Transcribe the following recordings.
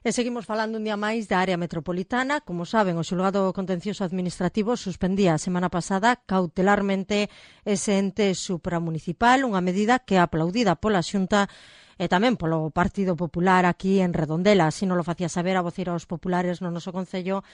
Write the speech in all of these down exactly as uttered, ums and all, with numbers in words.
E seguimos falando un día máis da área metropolitana. Como saben, o xulgado contencioso administrativo suspendía a semana pasada cautelarmente ese ente supramunicipal, unha medida que é aplaudida pola Xunta e tamén polo Partido Popular aquí en Redondela. Así non lo facía saber a voceira aos populares no noso concello,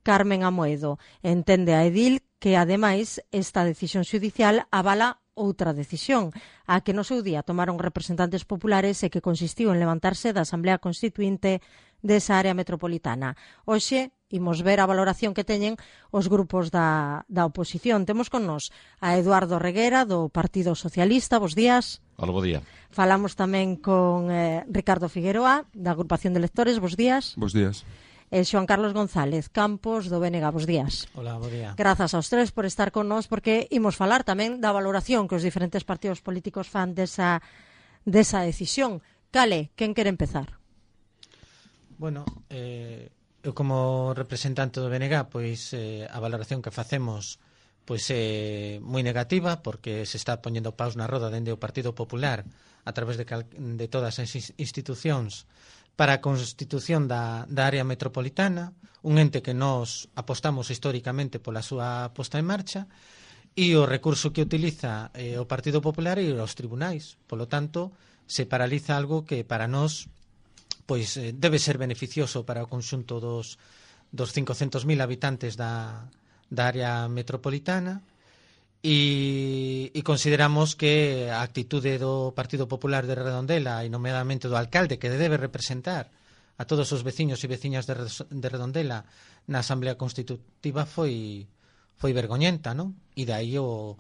Carmen Amoedo. Entende a edil que, ademais, esta decisión xudicial avala outra decisión, a que no seu día tomaron representantes populares e que consistiu en levantarse da Asamblea Constituinte desa área metropolitana. Hoxe imos ver a valoración que teñen os grupos da, da oposición. Temos con nos a Eduardo Reguera, do Partido Socialista. Bos días. Hola, bo día. Falamos tamén con eh, Ricardo Figueroa, da Agrupación de Lectores. Bos días. Bos días. E Xoán Carlos González Campos, do B N G. Bos días. Hola, bo día. Grazas aos tres por estar con nós, porque imos falar tamén da valoración que os diferentes partidos políticos fan desa, desa decisión. Cale, quen quere empezar? Bueno, eh, eu como representante do B N G, pois eh, a valoración que facemos pois é moi negativa, porque se está poñendo paus na roda dende o Partido Popular a través de, cal, de todas as institucións para a constitución da, da área metropolitana, un ente que nos apostamos históricamente pola súa posta en marcha, e o recurso que utiliza eh, o Partido Popular e os tribunais. Polo tanto, se paraliza algo que para nós pois eh, debe ser beneficioso para o conxunto dos, dos cincocentos mil habitantes da, da área metropolitana, e, e consideramos que a actitude do Partido Popular de Redondela e nomeadamente do alcalde, que debe representar a todos os veciños e veciñas de, de Redondela na Asamblea Constitutiva foi foi vergoñenta, non? E dai o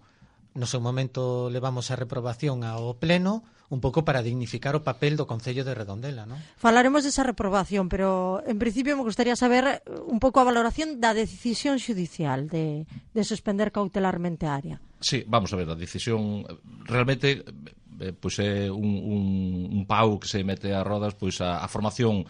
no seu momento levamos a reprobación ao pleno un pouco para dignificar o papel do Concello de Redondela, non? Falaremos desa reprobación, pero en principio me gustaría saber un pouco a valoración da decisión xudicial de, de suspender cautelarmente a área. Sí, vamos a ver, a decisión realmente eh, pois é un, un, un pau que se mete a rodas pois a, a formación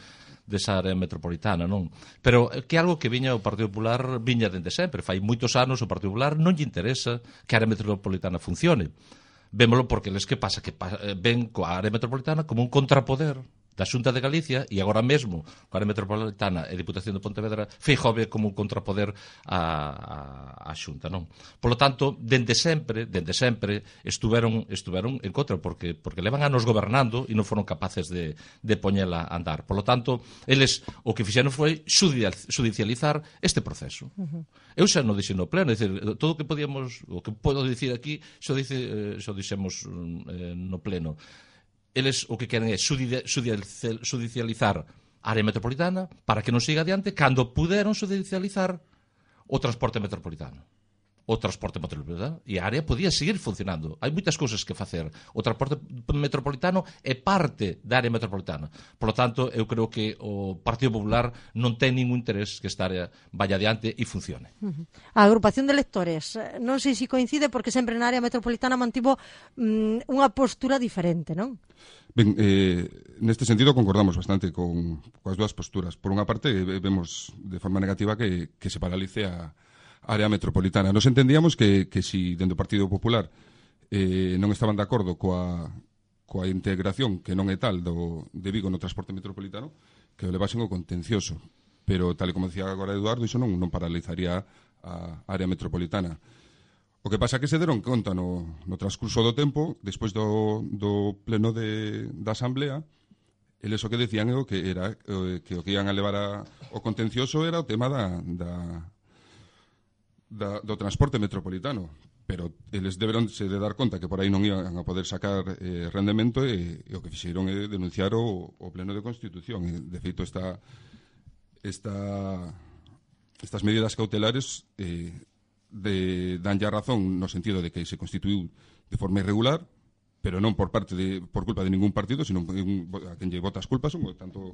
desa área metropolitana, non? Pero que algo que viña o Partido Popular viña dende sempre, fai moitos anos o Partido Popular non lle interesa que a área metropolitana funcione. Vémolo porque les que pasa que ven coa área metropolitana como un contrapoder da Xunta de Galicia, e agora mesmo coa área metropolitana e Diputación de Pontevedra Feijóo ve como un contrapoder a, a, a Xunta, non? Polo tanto, dende sempre, dende sempre estuveron estuveron en contra porque porque levan anos gobernando e non foron capaces de de poñela a andar. Polo tanto, eles o que fixeron foi judicializar este proceso. Uh-huh. Eu xa non dixen no pleno, é dicir, todo o que podíamos, o que podo dicir aquí, xo dice, xo dixemos eh, no pleno. Eles o que queren é judicializar a área metropolitana para que non siga adiante cando puderon judicializar o transporte metropolitano. O transporte metropolitano e a área podía seguir funcionando. Hai moitas cousas que facer. O transporte metropolitano é parte da área metropolitana. Por lo tanto, eu creo que o Partido Popular non ten ningún interés que esta área vaya adiante e funcione. Uh-huh. A agrupación de lectores, non sei se coincide porque sempre na área metropolitana mantivo mm, unha postura diferente, non? Ben, eh, neste sentido concordamos bastante con coas dúas posturas. Por unha parte, vemos de forma negativa que, que se paralice a área metropolitana. Nos entendíamos que, que si dentro do Partido Popular eh, non estaban de acordo coa, coa integración que non é tal do, de Vigo no transporte metropolitano, que o levasen o contencioso. Pero, tal e como decía agora Eduardo, iso non, non paralizaría a área metropolitana. O que pasa é que se deron conta no, no transcurso do tempo, despois do, do pleno de, da Asamblea, eles o que decían é o que era que o que iban a levar a, o contencioso era o tema da, da Da, do transporte metropolitano, pero eles deberon se de dar conta que por aí non iban a poder sacar eh, rendemento e, e o que fixeron é denunciar o, o pleno de Constitución. E, de feito, esta, esta, estas medidas cautelares eh, de, danlle a razón no sentido de que se constituiu de forma irregular, pero non por parte de, por culpa de ningún partido, sino a quen lle vota as culpas son tanto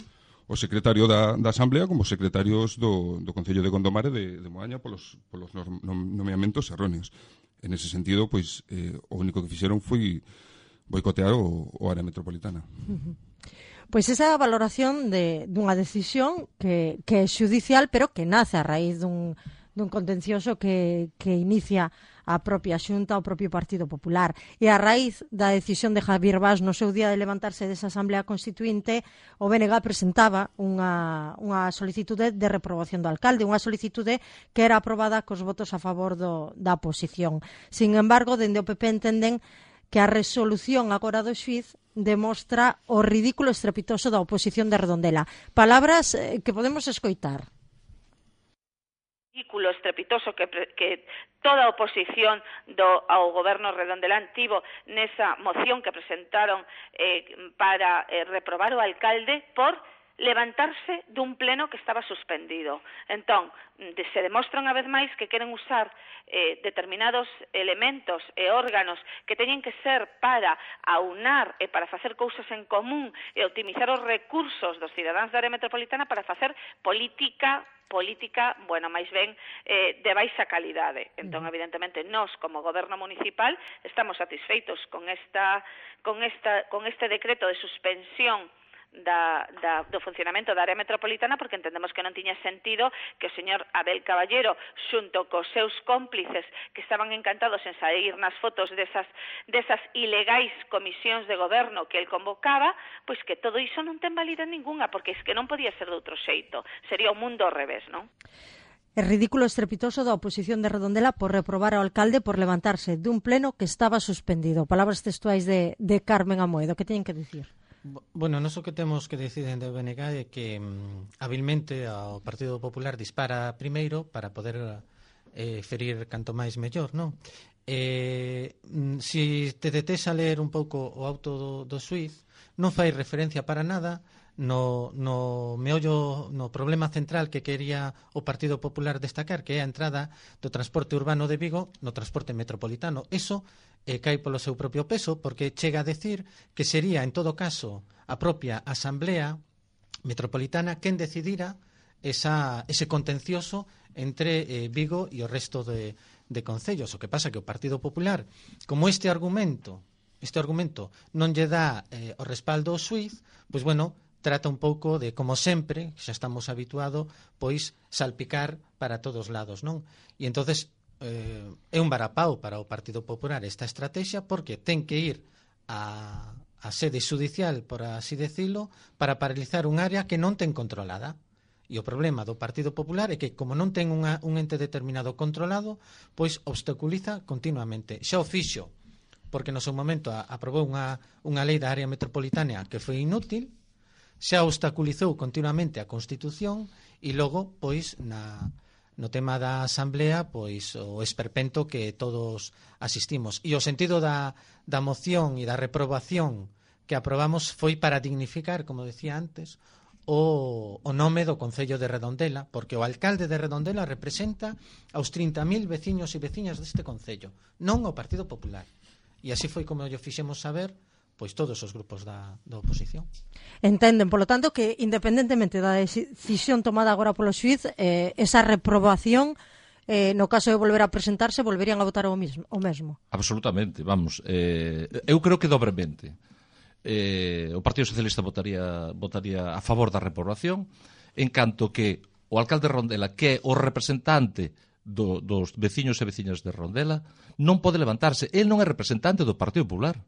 o secretario da, da Asamblea como os secretarios do, do Concello de Gondomar e de, de Moaña polos, polos nomeamentos erróneos. En ese sentido, pois, eh, o único que fixeron foi boicotear o, o área metropolitana. Uh-huh. Pois esa é a valoración de, dunha decisión que, que é xudicial, pero que nace a raíz dun, dun contencioso que, que inicia a propia Xunta, o propio Partido Popular. E a raíz da decisión de Javier Vaz no seu día de levantarse desa Asamblea Constituinte, o B N G presentaba unha, unha solicitude de reprobación do alcalde, unha solicitude que era aprobada cos votos a favor do, da oposición. Sin embargo, dende o P P entenden que a resolución agora do xuíz demostra o ridículo estrepitoso da oposición de Redondela. Palabras eh, que podemos escoitar. Ridículo estrepitoso que, que toda a oposición do, ao goberno redondelán tivo nesa moción que presentaron eh, para eh, reprobar o alcalde por levantarse dun pleno que estaba suspendido. Entón, de, se demostra unha vez máis que queren usar eh, determinados elementos e órganos que teñen que ser para aunar e para facer cousas en común e optimizar os recursos dos cidadáns da área metropolitana para facer política política, bueno, máis ben eh, de baixa calidade. Entón, evidentemente, nós, como goberno municipal, estamos satisfeitos con esta, con esta, con este decreto de suspensión Da, da, do funcionamento da área metropolitana, porque entendemos que non tiña sentido que o señor Abel Caballero, xunto cos seus cómplices que estaban encantados en sair nas fotos desas, desas ilegais comisións de goberno que el convocaba, pois que todo iso non ten validade ninguna, porque es que non podía ser de outro xeito, sería o mundo ao revés, non? É ridículo estrepitoso da oposición de Redondela por reprobar ao alcalde por levantarse dun pleno que estaba suspendido. Palabras textuais de, de Carmen Amoedo. Que teñen que dicir? Bueno, non o que temos que decir dende o B N G é que mm, habilmente ao Partido Popular dispara primeiro para poder eh, ferir canto máis mellor, non? Eh, mm, si te detes a ler un pouco o auto do, do xuíz, non fai referencia para nada no, no meollo, no problema central que quería o Partido Popular destacar, que é a entrada do transporte urbano de Vigo no transporte metropolitano. Eso e cae polo seu propio peso, porque chega a decir que sería, en todo caso, a propia Asamblea Metropolitana quen decidira esa, ese contencioso entre eh, Vigo e o resto de, de concellos. O que pasa que o Partido Popular, como este argumento este argumento non lle dá eh, o respaldo ao xuíz, pois, bueno, trata un pouco de, como sempre, xa estamos habituados, pois salpicar para todos lados, non? E entonces eh, é un varapau para o Partido Popular esta estrategia, porque ten que ir a, a sede judicial, por así decirlo, para paralizar un área que non ten controlada. E o problema do Partido Popular é que, como non ten unha, un ente determinado controlado, pois obstaculiza continuamente. Xa o fixo, porque no seu momento a, aprobou unha, unha lei da área metropolitana que foi inútil, xa obstaculizou continuamente a Constitución e logo, pois, na... no tema da Asamblea, pois o esperpento que todos asistimos. E o sentido da, da moción e da reprobación que aprobamos foi para dignificar, como decía antes, o, o nome do Concello de Redondela, porque o alcalde de Redondela representa aos trinta mil veciños e veciñas deste Concello, non o Partido Popular. E así foi como lle fixemos saber pois todos os grupos da, da oposición. Entenden, polo tanto, que independentemente da decisión tomada agora polo xuíz, eh, esa reprobación, eh, no caso de volver a presentarse, volverían a votar o mesmo? O mesmo. Absolutamente, vamos. Eh, eu creo que dobremente. Eh, o Partido Socialista votaría, votaría a favor da reprobación, en canto que o alcalde Rondela, que é o representante do, dos veciños e veciñas de Rondela, non pode levantarse. El non é representante do Partido Popular.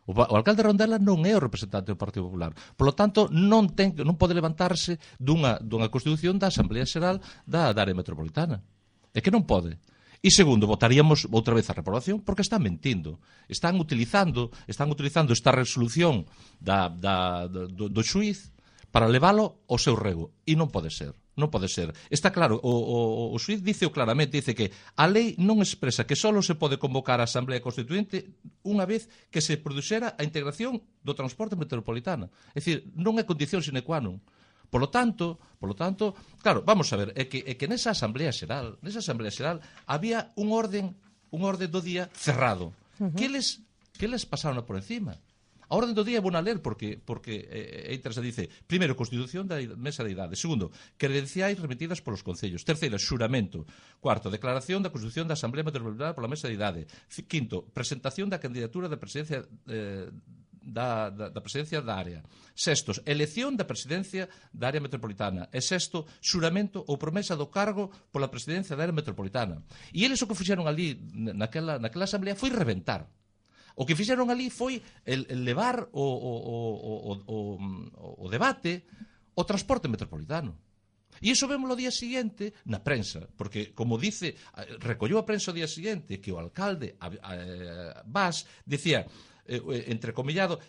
O, o alcalde Rondela non é o representante do Partido Popular. Por lo tanto, non, ten, non pode levantarse dunha, dunha constitución da Asamblea Xeral da, da área metropolitana. É que non pode. E segundo, votaríamos outra vez a reprobación porque están mentindo. Están utilizando, están utilizando esta resolución da, da, do, do xuíz para leválo ao seu rego. E non pode ser. Non pode ser. Está claro, o, o, o xuíz dice claramente, dice que a lei non expresa que só se pode convocar a Asamblea Constituinte unha vez que se produxera a integración do transporte metropolitana. É dicir, non é condición sine qua non. Por lo tanto, por lo tanto, claro, vamos a ver, é que, é que nesa Asamblea Xeral, nesa Asamblea Xeral había un orden, un orden do día cerrado. Uh -huh. Que les, que les pasaron por encima? A orden do día é bona ler porque porque é eh, interesante, dice, primeiro, Constitución da Mesa de Idade, segundo, credenciais remitidas polos concellos, terceiro, xuramento, cuarto, declaración da Constitución da Asamblea Metropolitana pola Mesa de Idade, quinto, presentación da candidatura da presidencia eh, da, da, da presidencia da área. Sextos, elección da presidencia da área metropolitana. E sexto, xuramento ou promesa do cargo pola presidencia da área metropolitana. E eles o que fixeron ali naquela, naquela asamblea foi reventar. O que fixeron ali foi el, el levar o, o, o, o, o, o debate ao transporte metropolitano. E iso vemos o día siguiente na prensa, porque, como dice, recolleu a prensa o día siguiente que o alcalde a, a, a Bas dicía, eh, entrecomillado,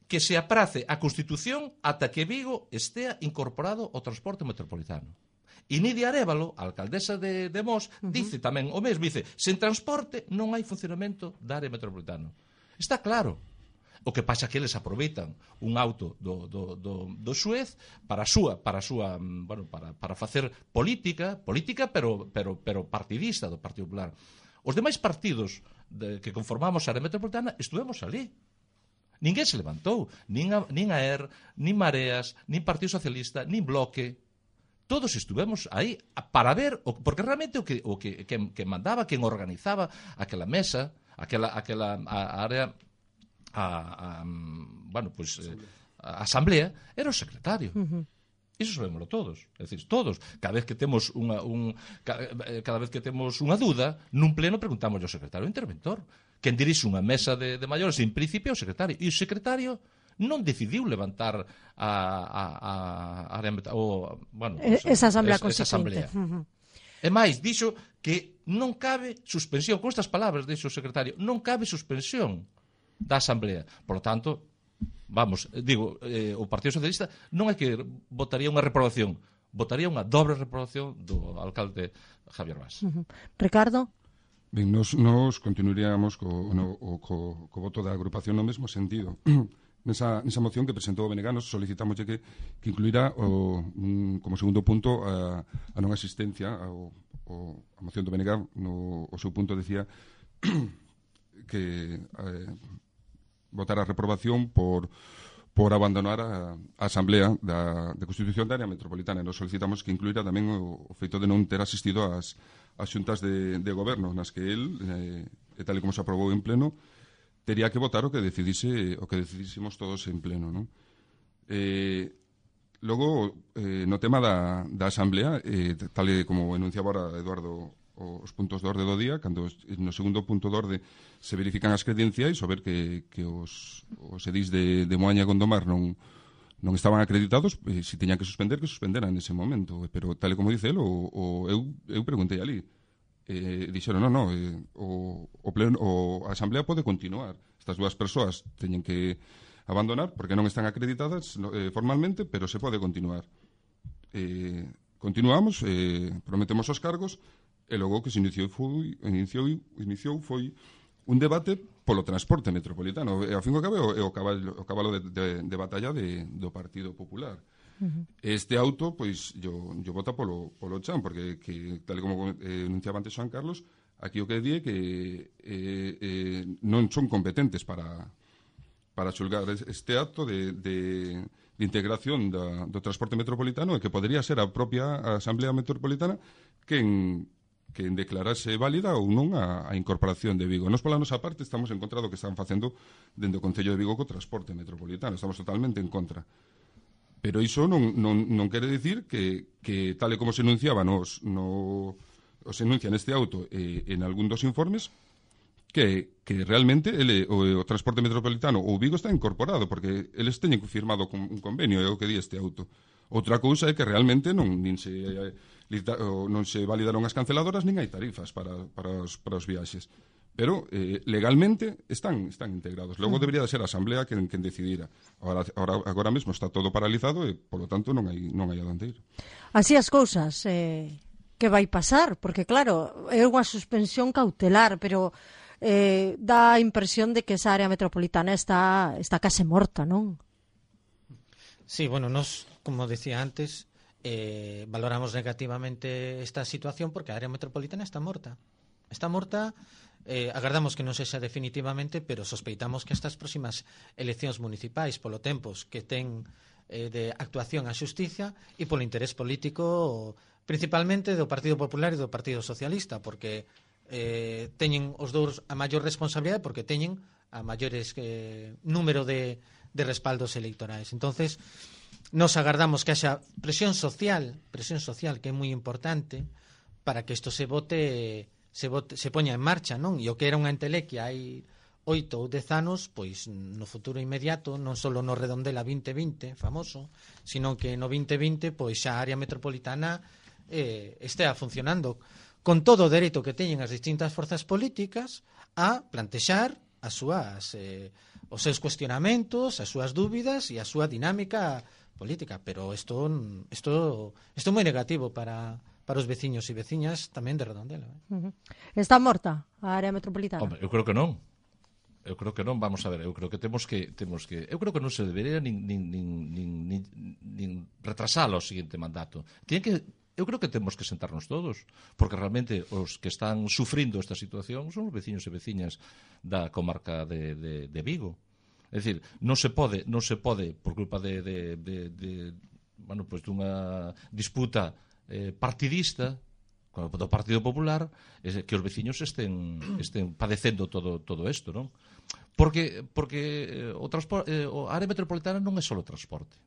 que se aprace a Constitución ata que Vigo estea incorporado ao transporte metropolitano. E Nidia Arévalo, a alcaldesa de, de Mos, uh-huh. dice tamén o mesmo, dice, sen transporte non hai funcionamento da área metropolitana. Está claro. O que pasa que eles aproveitan un auto do, do, do, do Suez para a súa, para a súa, bueno, para, para facer política, política pero, pero, pero partidista do Partido Popular. Os demais partidos de, que conformamos a área metropolitana estuvemos ali. Ninguén se levantou, nin a, nin a E R, nin Mareas, nin Partido Socialista, nin Bloque. Todos estuvemos aí para ver, porque realmente o que, o que, que, que mandaba, quen organizaba aquela mesa, aquela, aquela a, a área... A, a, bueno, pues, a asamblea era o secretario. Uh-huh. Iso sabémoslo todos, é dicir, todos. Cada vez que temos unha un, cada vez que temos unha dúda, nun pleno preguntamos ao secretario interventor. Quen dirixe unha mesa de, de maiores, en principio, o secretario. E o secretario non decidiu levantar a a a, a o, bueno, pues, esa asamblea es, constituinte. Esa asamblea. Uh-huh. E máis, dixo que non cabe suspensión, con estas palabras dixo o secretario, non cabe suspensión da asamblea. Por lo tanto, vamos, digo, eh, o Partido Socialista non é que votaría unha reprobación, votaría unha dobre reprobación do alcalde Javier Bas. Uh-huh. Ricardo? Ben, nos, nos continuaríamos co, no, o, co, co voto da agrupación no mesmo sentido. Nesa, nesa moción que presentou o Beneganos solicitamos que, que incluirá o, un, como segundo punto a, a non asistencia ao, o, a moción do Benegá. No, o seu punto decía que eh, votar a reprobación por por abandonar a, a Asamblea da, de Constitución da área metropolitana. Nos solicitamos que incluíra tamén o, o feito de non ter asistido ás, ás xuntas de, de goberno nas que el, eh, e tal e como se aprobou en pleno, tería que votar o que decidise o que decidísemos todos en pleno, non? Eh, logo, eh, no tema da, da Asamblea, eh, tal e como enunciaba ahora Eduardo os puntos de orde do día, cando no segundo punto de orde se verifican as credenciais, o ver que, que os, os edís de, de Moaña e Gondomar non, non estaban acreditados, eh, si teñan que suspender, que suspenderan nese momento. Pero, tal e como dice el, o, o, eu, eu preguntei ali, eh, dixeron, non, non, eh, o, o, pleno, o a Asamblea pode continuar. Estas dúas persoas teñen que abandonar, porque non están acreditadas eh, formalmente, pero se pode continuar. Eh, continuamos, eh, prometemos os cargos, e logo que se iniciou foi, iniciou, iniciou foi un debate polo transporte metropolitano. E ao fin e ao cabo é o cabalo, o cabalo de, de, de batalla de, do Partido Popular. Uh-huh. Este auto, pois, yo, yo vota polo, polo chan, porque que, tal como eh, enunciaba antes Juan Carlos, aquí o que di é que eh, eh, non son competentes para para xulgar este acto de, de, de integración da, do transporte metropolitano, e que podría ser a propia Asamblea Metropolitana quen que declarase válida ou non a, a incorporación de Vigo. Nos pola nosa parte estamos en contra do que están facendo dentro do Concello de Vigo co transporte metropolitano. Estamos totalmente en contra. Pero iso non, non, non quere dicir que, que tal e como se enunciaba nos, no, o se enuncia neste auto eh, en algún dos informes, que, que realmente ele, o, o transporte metropolitano ou Vigo está incorporado, porque eles teñen firmado un convenio, é o que di este auto. Outra cousa é que realmente non nin se eh, non se validaron as canceladoras nin hai tarifas para, para, os, para os viaxes. Pero eh, legalmente están, están integrados. Logo debería de ser a Asamblea quen, quen decidira. Agora, agora, agora mesmo está todo paralizado e, polo tanto, non hai, non hai adonde ir. Así as cousas, eh, que vai pasar? Porque, claro, é unha suspensión cautelar, pero eh, dá a impresión de que esa área metropolitana está, está case morta, non? Sí, bueno, nos, como decía antes, eh, valoramos negativamente esta situación porque a área metropolitana está morta. Está morta, eh, agardamos que non sexa definitivamente, pero sospeitamos que estas próximas eleccións municipais, polo tempos que ten eh, de actuación a xustiza e polo interés político principalmente do Partido Popular e do Partido Socialista, porque eh, teñen os dous a maior responsabilidade, porque teñen a maiores eh, número de, de respaldos electorais. Entonces, nos agardamos que haxa presión social, presión social que é moi importante para que isto se vote, se vote, se poña en marcha, non? E o que era unha entelequia hai oito ou dez anos, pois no futuro inmediato, non só no Redondela vinte vinte, famoso, sino que no vinte vinte, pois xa a área metropolitana eh, estea funcionando con todo o dereito que teñen as distintas forzas políticas a plantexar as súas eh, os seus cuestionamentos, as súas dúbidas e a súa dinámica política, pero isto isto isto é moi negativo para para os veciños e veciñas tamén de Redondela. Eh? Uh-huh. Está morta a área metropolitana? Hombre, eu creo que non. Eu creo que non, vamos a ver, eu creo que temos que temos que eu creo que non se debería nin nin nin nin, nin, nin retrasar o seguinte mandato. Tiene que eu creo que temos que sentarnos todos, porque realmente os que están sufrindo esta situación son os veciños e veciñas da comarca de, de, de Vigo. É dicir, non se pode, non se pode por culpa de, de, de, de bueno, pues dunha disputa eh, partidista do Partido Popular, é que os veciños estén estén padecendo todo todo isto, non? Porque porque eh, o transporte eh, a área metropolitana non é só o transporte.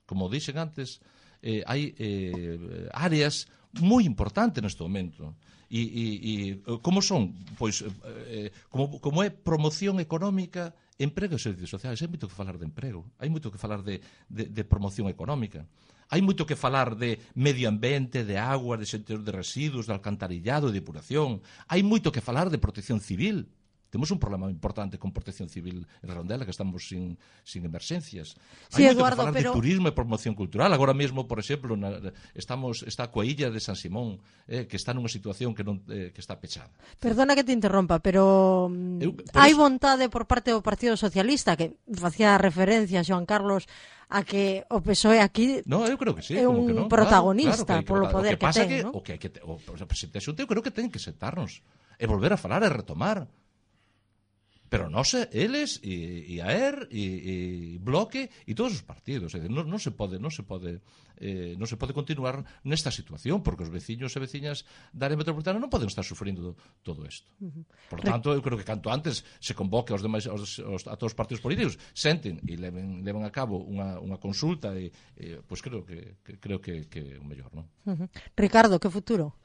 Como dixen antes, eh, hai eh, áreas moi importantes neste momento. E, e, e como son? Pois eh, como, como é promoción económica, emprego e servicios sociais. Hai moito que falar de emprego, hai moito que falar de, de, de promoción económica, hai moito que falar de medio ambiente, de agua, de xestión de residuos, de alcantarillado, de depuración, hai moito que falar de protección civil. Temos un problema importante con protección civil en Redondela, que estamos sin, sin emerxencias. Sí, Hai moito Eduardo, que falar pero... de turismo e promoción cultural. Agora mesmo, por exemplo, na, estamos está coa illa de San Simón, eh, que está nunha situación que non eh, que está pechada. Perdona que te interrompa, pero Eu, hai eso... vontade por parte do Partido Socialista, que facía referencia a Xoan Carlos a que o P S O E aquí no, eu creo que sí, é como un que non. protagonista claro, claro, que polo poder o que, que, pasa ten, que, ¿no? o que hai que o, o presidente da Xunta eu creo que ten que sentarnos e volver a falar e retomar. Pero non se, eles e, e a ER e, e Bloque e todos os partidos, é dicir, non, non se pode, non se pode eh, non se pode continuar nesta situación, porque os veciños e veciñas da área metropolitana non poden estar sufrindo todo isto. Por tanto, eu creo que canto antes se convoque aos demais aos, aos, a todos os partidos políticos, senten e leven, leven a cabo unha, unha consulta e, e pois creo que, que creo que que é o mellor, non? Uh-huh. Ricardo, que futuro?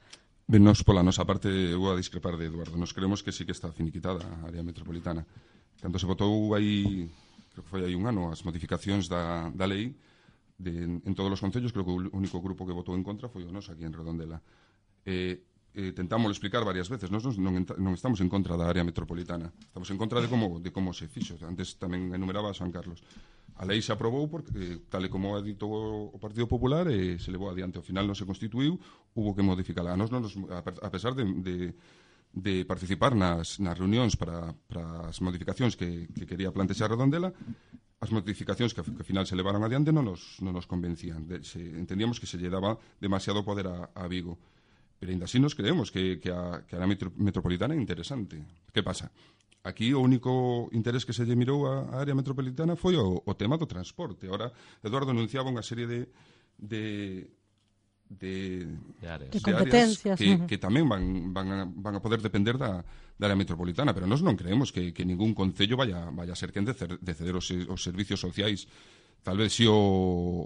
Ben, nos pola nosa parte eu vou a discrepar de Eduardo. Nos creemos que sí que está finiquitada a área metropolitana. Cando se votou aí, creo que foi aí un ano, as modificacións da, da lei de, en todos os concellos, creo que o único grupo que votou en contra foi o nos aquí en Redondela. Eh, eh, tentámoslo explicar varias veces. Nos non, non estamos en contra da área metropolitana. Estamos en contra de como, de como se fixo. Antes tamén enumeraba a San Carlos. A lei se aprobou porque, tal e como ha dito o Partido Popular, eh, se levou adiante. Ao final non se constituiu, hubo que modificala. A, nos, nos, a pesar de, de, de participar nas, nas reunións para, para as modificacións que, que quería plantexar Redondela, as modificacións que, que ao final se levaron adiante non nos, non nos convencían. De, se, entendíamos que se lle daba demasiado poder a, a Vigo. Pero ainda así nos creemos que, que, a, que a área metropolitana é interesante. Que pasa? Aquí o único interés que se lle mirou á área metropolitana foi o, o tema do transporte. Ahora, Eduardo anunciaba unha serie de de, de, de áreas, de competencias de áreas que, que tamén van, van, a, van a poder depender da, da área metropolitana, pero nós non creemos que, que ningún concello vaya, vaya a ser quen de, de ceder os, os servicios sociais. Tal vez si o,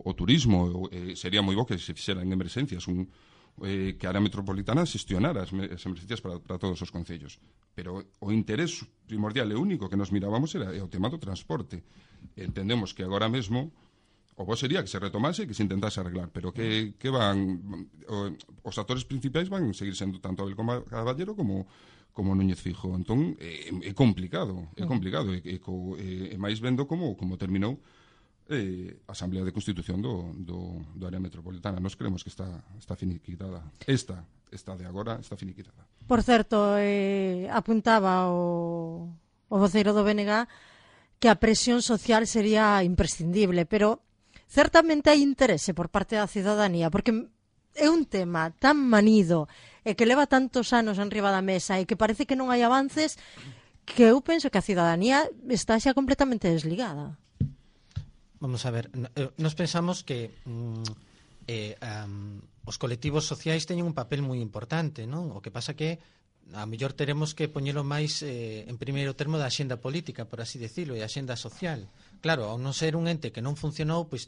o turismo eh, sería moi bo que se fixeran en emerxencias un Eh, que a área metropolitana xestionara as, as emergencias para, para todos os concellos, pero o interés primordial e único que nos mirábamos era o tema do transporte. Entendemos que agora mesmo o bo sería que se retomase e que se intentase arreglar, pero que, que van o, os actores principais van seguir sendo tanto Abel Caballero como como Núñez Fijo. Entón é, é complicado, é complicado e, e, e, e máis vendo como como terminou eh, a Asamblea de Constitución do, do, do área metropolitana. Nos creemos que está, está finiquitada. Esta, esta de agora, está finiquitada. Por certo, eh, apuntaba o, o voceiro do B N G que a presión social sería imprescindible, pero certamente hai interese por parte da cidadanía, porque é un tema tan manido e que leva tantos anos enriba da mesa e que parece que non hai avances, que eu penso que a cidadanía está xa completamente desligada. Vamos a ver, nos pensamos que mm, eh, um, os colectivos sociais teñen un papel moi importante, non? O que pasa que a mellor teremos que poñelo máis eh, en primeiro termo da axenda política, por así decirlo, e a axenda social. Claro, ao non ser un ente que non funcionou, pois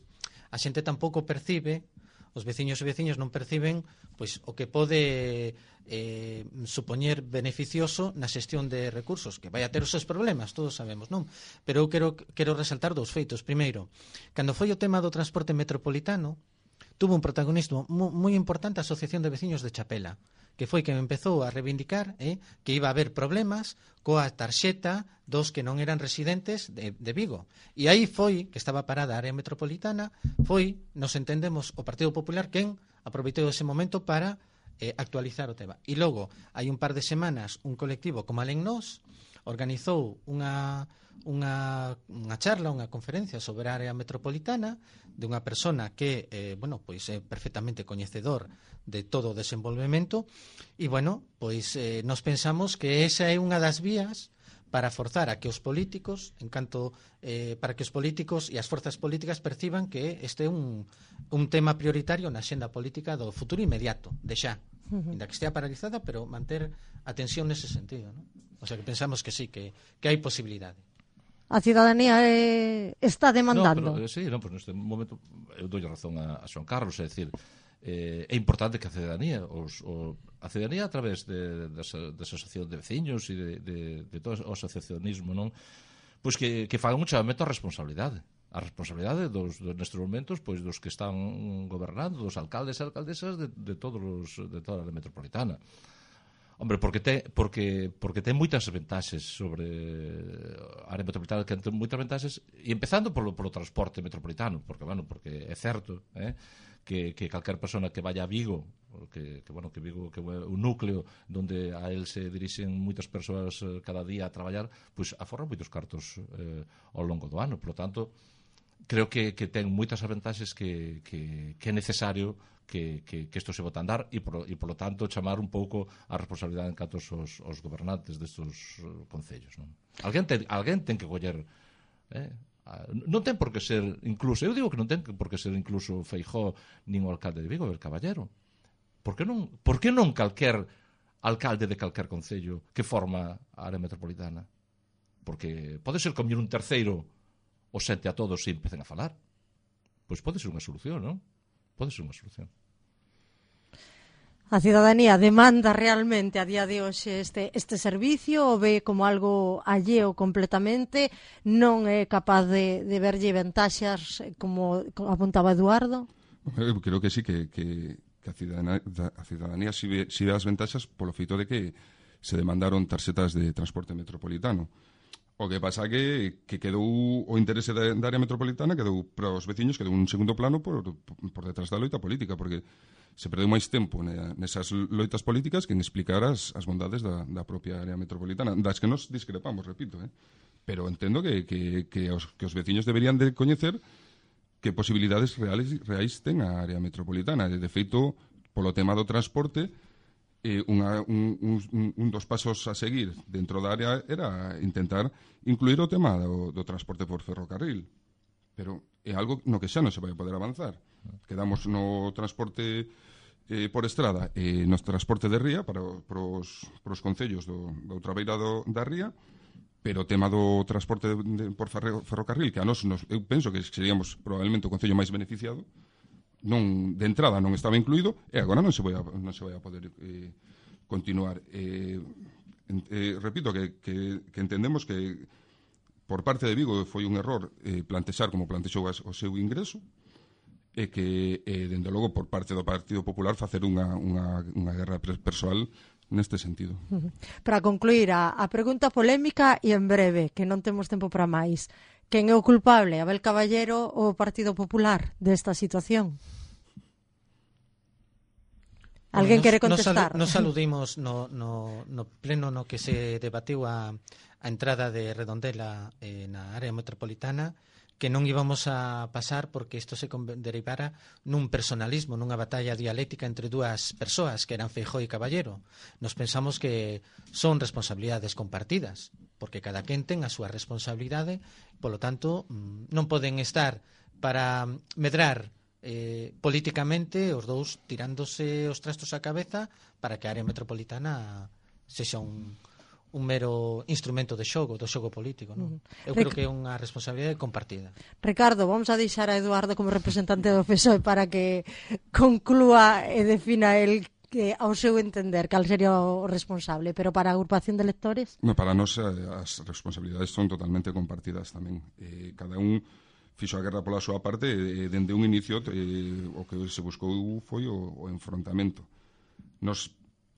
a xente tampouco percibe, os veciños e veciñas non perciben pois o que pode eh, supoñer beneficioso na xestión de recursos, que vai a ter os seus problemas, todos sabemos, non? Pero eu quero, quero resaltar dous feitos. Primeiro, cando foi o tema do transporte metropolitano, tuvo un protagonismo moi importante a Asociación de Veciños de Chapela, que foi que me empezou a reivindicar eh, que iba a haber problemas coa tarxeta dos que non eran residentes de, de Vigo. E aí foi, que estaba parada a área metropolitana, foi, nos entendemos, o Partido Popular quen aproveitou ese momento para eh, actualizar o tema. E logo, hai un par de semanas, un colectivo como Alén Nós organizou unha, unha, unha charla, unha conferencia sobre a área metropolitana de unha persona que eh, bueno, pois é perfectamente coñecedor de todo o desenvolvemento e, bueno, pois eh, nos pensamos que esa é unha das vías para forzar a que os políticos, en canto eh, para que os políticos e as forzas políticas perciban que este é un, un tema prioritario na xenda política do futuro inmediato, de xa, uh-huh. Ainda que estea paralizada, pero manter a tensión nese sentido, ¿no? O sea, que pensamos que sí, que, que hai posibilidade. A cidadanía eh, está demandando. No, pero, sí, no, pues neste momento eu dou razón a, a Xoan Carlos, é dicir, eh, é importante que a cidadanía, os, o, a cidadanía a través de, de, de asociación de veciños e de, de, de todo o asociacionismo, non? Pois que, que fagan un chamamento á responsabilidade. A responsabilidade dos, dos nestes momentos, pois dos que están gobernando, dos alcaldes e alcaldesas de, de todos os, de toda a área metropolitana. Hombre, porque ten, porque, porque ten moitas ventaxes sobre a área metropolitana, que ten moitas ventaxes, e empezando polo, polo transporte metropolitano, porque, bueno, porque é certo, eh, que, que calquer persona que vaya a Vigo, que, que, bueno, que Vigo que é un núcleo onde a él se dirixen moitas persoas cada día a traballar, pois aforran moitos cartos eh, ao longo do ano. Por lo tanto, creo que, que ten moitas ventaxes que, que, que é necesario que, que, que isto se bota a andar e, por, e, por lo tanto, chamar un pouco a responsabilidade en canto os, os gobernantes destes uh, concellos. Non? Alguén, ten, alguén ten que coller... Eh? Non ten por que ser incluso... Eu digo que non ten por que ser incluso Feijóo nin o alcalde de Vigo, el Caballero. Por que non, por que non calquer alcalde de calquer concello que forma a área metropolitana? Porque pode ser como un terceiro o sente a todos e empecen a falar. Pois pode ser unha solución, non? Pode ser unha solución. A cidadanía demanda realmente a día de hoxe este, este servicio ou ve como algo alleo completamente, non é capaz de, de verlle ventaxas como, como apuntaba Eduardo? Eu creo que sí, que, que, que a cidadanía, a cidadanía si ve, si ve as ventaxas polo feito de que se demandaron tarxetas de transporte metropolitano. O que pasa que, que quedou o interese da, da área metropolitana, quedou para os veciños, quedou un segundo plano por, por detrás da loita política, porque se perdeu máis tempo nesas loitas políticas que en explicar as, as bondades da, da propia área metropolitana, das que nos discrepamos, repito, eh? Pero entendo que, que, que, os, que os veciños deberían de coñecer que posibilidades reales, reais ten a área metropolitana. De feito, polo tema do transporte, Eh, unha, un, un, un dos pasos a seguir dentro da área era intentar incluir o tema do, do transporte por ferrocarril, pero é algo no que xa non se vai poder avanzar. Quedamos no transporte eh, por estrada e no transporte de ría para, para, os, para os concellos do, da outra beira do, da ría, pero o tema do transporte de, de, por ferrocarril, que a nos, nos eu penso que seríamos probablemente o concello máis beneficiado, non, de entrada non estaba incluído e agora non se vai a, non se vai a poder eh, continuar. Eh, eh, repito que, que, que entendemos que por parte de Vigo foi un error eh, plantexar como plantexou o seu ingreso e que, eh, dende logo, por parte do Partido Popular facer unha, unha, unha guerra persoal neste sentido. Para concluir, a, a pregunta polémica e en breve, que non temos tempo para máis. Quen é o culpable, Abel Caballero ou o Partido Popular desta situación? Alguén nos, quere contestar? Nos, nos aludimos no, no, no pleno no que se debatiu a, a entrada de Redondela eh, na área metropolitana, que non íbamos a pasar porque isto se derivara nun personalismo, nunha batalla dialéctica entre dúas persoas que eran Feijóo e Caballero. Nos pensamos que son responsabilidades compartidas, porque cada quen ten a súa responsabilidade, polo tanto, non poden estar para medrar eh, políticamente os dous tirándose os trastos á cabeza para que a área metropolitana sexa un un mero instrumento de xogo, do xogo político, non? Eu Rec- creo que é unha responsabilidade compartida. Ricardo, vamos a deixar a Eduardo como representante do P S O E para que conclúa e defina el que ao seu entender cal sería o responsable, pero para a agrupación de electores? No, para nós eh, as responsabilidades son totalmente compartidas tamén. Eh, cada un fixo a guerra pola súa parte e dende un inicio eh, o que se buscou foi o, o enfrontamento. Nos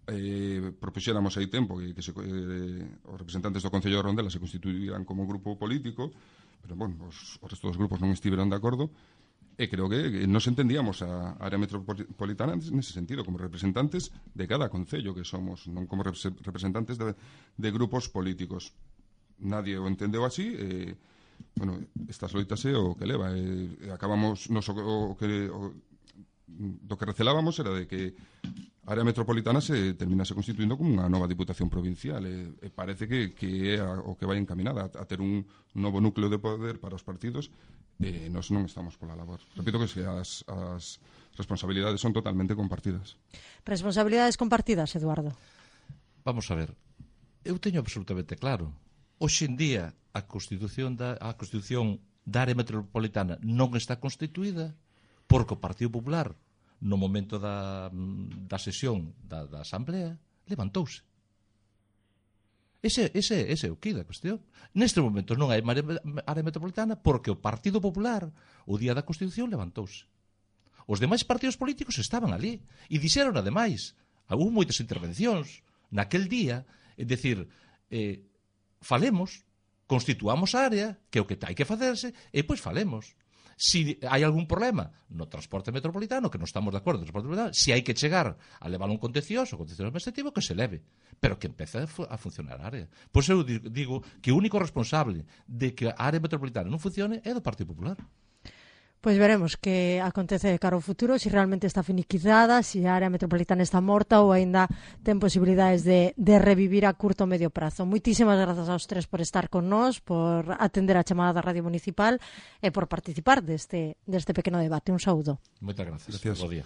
eh, propuxéramos hai tempo que, que se, eh, os representantes do Concello de Rondela se constituíran como grupo político, pero, bueno, os, os restos dos grupos non estiveron de acordo, e creo que, que nos entendíamos a área metropolitana nese sentido, como representantes de cada concello que somos, non como representantes de, de grupos políticos. Nadie o entendeu así, e, bueno, estas loitas é o que leva, e, e acabamos, nos, o, o que... O, do que recelábamos era de que a área metropolitana se terminase constituindo como unha nova diputación provincial e, e parece que, que é a, o que vai encaminada a, a ter un novo núcleo de poder para os partidos e nós non estamos pola labor. Repito que as, as responsabilidades son totalmente compartidas. Responsabilidades compartidas, Eduardo? Vamos a ver, eu teño absolutamente claro. Hoxe en día a Constitución da, a Constitución da área metropolitana non está constituída porque o Partido Popular, no momento da, da sesión da, da Asamblea, levantouse. Ese, ese, ese é o que da cuestión. Neste momento non hai área metropolitana porque o Partido Popular, o día da Constitución, levantouse. Os demais partidos políticos estaban ali e dixeron, ademais, houve moitas intervencións naquel día, é dicir, eh, falemos, constituamos a área, que é o que hai que facerse, e pois falemos. Si hai algún problema no transporte metropolitano, que non estamos de acordo no transporte metropolitano, si hai que chegar a levar un contencioso, contencioso administrativo, que se leve, pero que empece a, a funcionar a área. Pois eu digo que o único responsable de que a área metropolitana non funcione é do Partido Popular. Pois veremos que acontece de cara ao futuro, se realmente está finiquizada, se a área metropolitana está morta ou aínda ten posibilidades de, de revivir a curto ou medio prazo. Moitísimas grazas aos tres por estar con nós, por atender a chamada da Radio Municipal e por participar deste, deste pequeno debate. Un saúdo. Moitas gracias. Gracias. Bo día.